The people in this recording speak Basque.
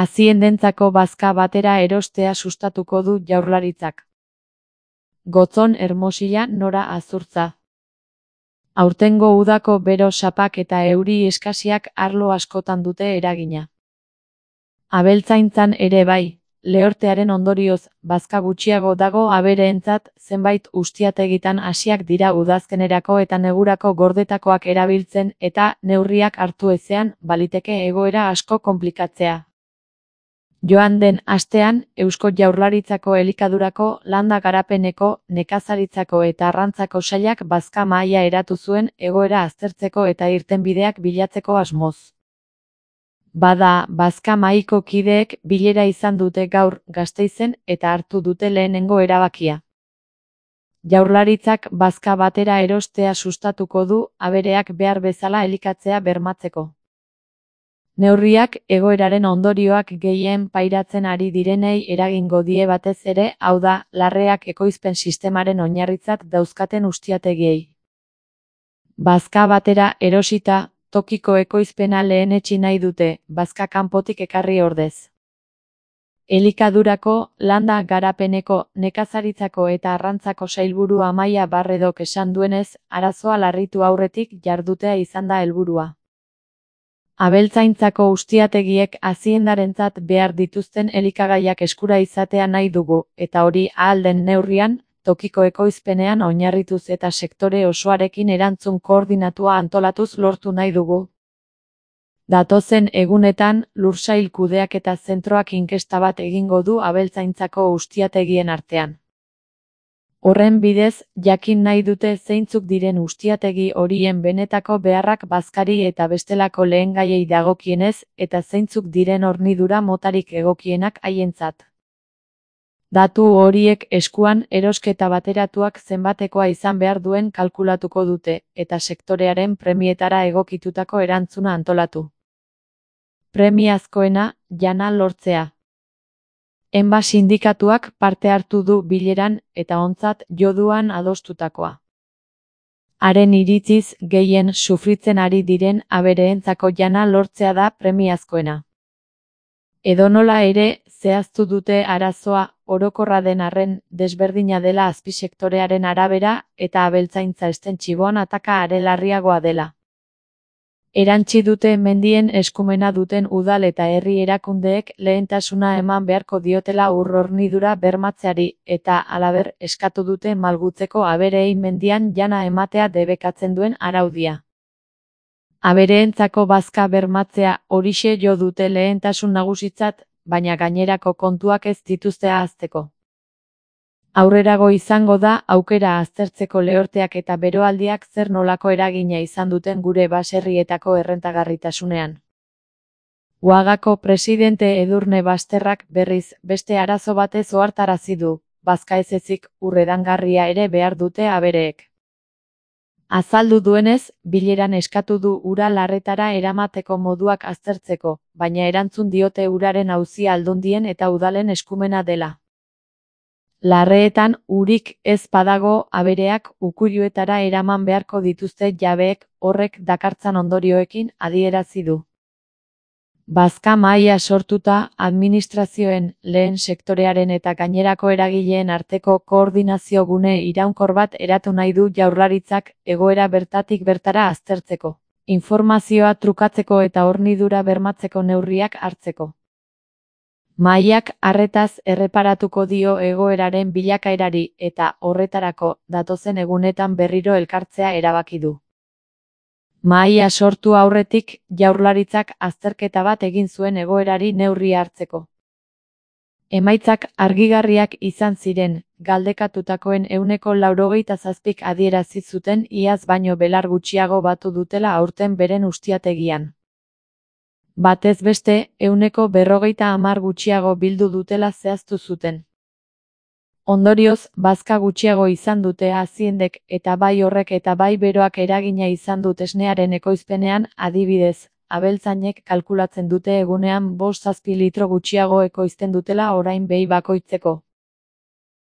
Aziendentzako bazka batera erostea sustatuko du Jaurlaritzak. Gotzon Hermosilla Nora Azurtza. Aurtengo udako bero sapak eta euri eskasiak arlo askotan dute eragina. Abeltzaintzan ere bai, lehortearen ondorioz, bazka gutxiago dago abereentzat, zenbait ustiategitan hasiak dira udazkenerako eta negurako gordetakoak erabiltzen eta neurriak hartu ezean, baliteke egoera asko konplikatzea. Joan den astean, Eusko Jaurlaritzako elikadurako, landa garapeneko, nekazaritzako eta arrantzako sailak bazka mahaia eratu zuen egoera aztertzeko eta irtenbideak bilatzeko asmoz. Bada, bazka mahaiko kideek bilera izan dute gaur Gasteizen eta hartu dute lehenengo erabakia. Jaurlaritzak bazka batera erostea sustatuko du abereak behar bezala elikatzea bermatzeko. Neurriak egoeraren ondorioak gehien pairatzen ari direnei eragingo die batez ere, hau da, larreak ekoizpen sistemaren oinarritzat dauzkaten ustiategiei. Bazka batera erosita, tokiko ekoizpena lehenetsi nahi dute, bazka kanpotik ekarri ordez. Elikadurako, landa garapeneko, nekazaritzako eta arrantzako sailburu Amaia Barredok esan duenez, arazoa larritu aurretik jardutea izan da helburua. Abeltzaintzako ustiategiek aziendarentzat behar dituzten elikagaiak eskura izatea nahi dugu, eta hori ahal den neurrian, tokiko ekoizpenean oinarrituz eta sektore osoarekin erantzun koordinatua antolatuz lortu nahi dugu. Datozen egunetan, lursail kudeaketa zentroak inkesta bat egingo du abeltzaintzako ustiategien artean. Horren bidez, jakin nahi dute zeintzuk diren ustiategi horien benetako beharrak bazkari eta bestelako lehengaiei dagokienez, eta zeintzuk diren hornidura motarik egokienak haientzat. Datu horiek eskuan erosketa bateratuak zenbatekoa izan behar duen kalkulatuko dute, eta sektorearen premietara egokitutako erantzuna antolatu. Premiazkoena, jana lortzea. Enba sindikatuak parte hartu du bileran eta ontzat joduan adostutakoa. Haren iritziz gehien sufritzen ari diren abereentzako jana lortzea da premiazkoena. Edonola ere, zehaztu dute arazoa, orokorra den arren, desberdina dela azpisektorearen arabera eta abeltzaintza estentxiboan ataka are larriagoa dela. Erantsi dute mendien eskumena duten udal eta herri erakundeek lehentasuna eman beharko diotela ur-hornidura bermatzeari eta halaber eskatu dute malgutzeko abereei mendian jana ematea debekatzen duen araudia. Abereentzako bazka bermatzea horixe jo dute lehentasun nagusitzat, baina gainerako kontuak ez dituzte ahazteko. Aurrerago izango da aukera aztertzeko lehorteak eta beroaldiak zer nolako eragina izan duten gure baserrietako errentagarritasunean. Uagako presidente Edurne Basterrak berriz beste arazo batez ohartarazi du, bazka ez ezik urredangarria ere behar dute abereek. Azaldu duenez, bileran eskatu du ura larretara eramateko moduak aztertzeko, baina erantzun diote uraren auzia aldundien eta udalen eskumena dela. Larreetan urik ez badago abereak ukuiluetara eraman beharko dituzte jabeek horrek dakartzan ondorioekin adierazi du. Bazka mahaia sortuta administrazioen, lehen sektorearen eta gainerako eragileen arteko koordinazio gune iraunkor bat eratu nahi du Jaurlaritzak egoera bertatik bertara aztertzeko, informazioa trukatzeko eta hornidura bermatzeko neurriak hartzeko. Mahaiak arretaz erreparatuko dio egoeraren bilakaerari eta horretarako datozen egunetan berriro elkartzea erabaki du. Mahaia sortu aurretik Jaurlaritzak azterketa bat egin zuen egoerari neurria hartzeko. Emaitzak argigarriak izan ziren, galdekatutakoen 97% adierazi zuten iaz baino belar gutxiago batu dutela aurten beren ustiategian. Batez beste, 50% gutxiago bildu dutela zehaztu zuten. Ondorioz, bazka gutxiago izan dute aziendek eta bai horrek eta bai beroak eragina izan dut esnearen ekoizpenean, adibidez, abeltzainek kalkulatzen dute egunean 5-7 litro gutxiago ekoizten dutela orain behi bakoitzeko.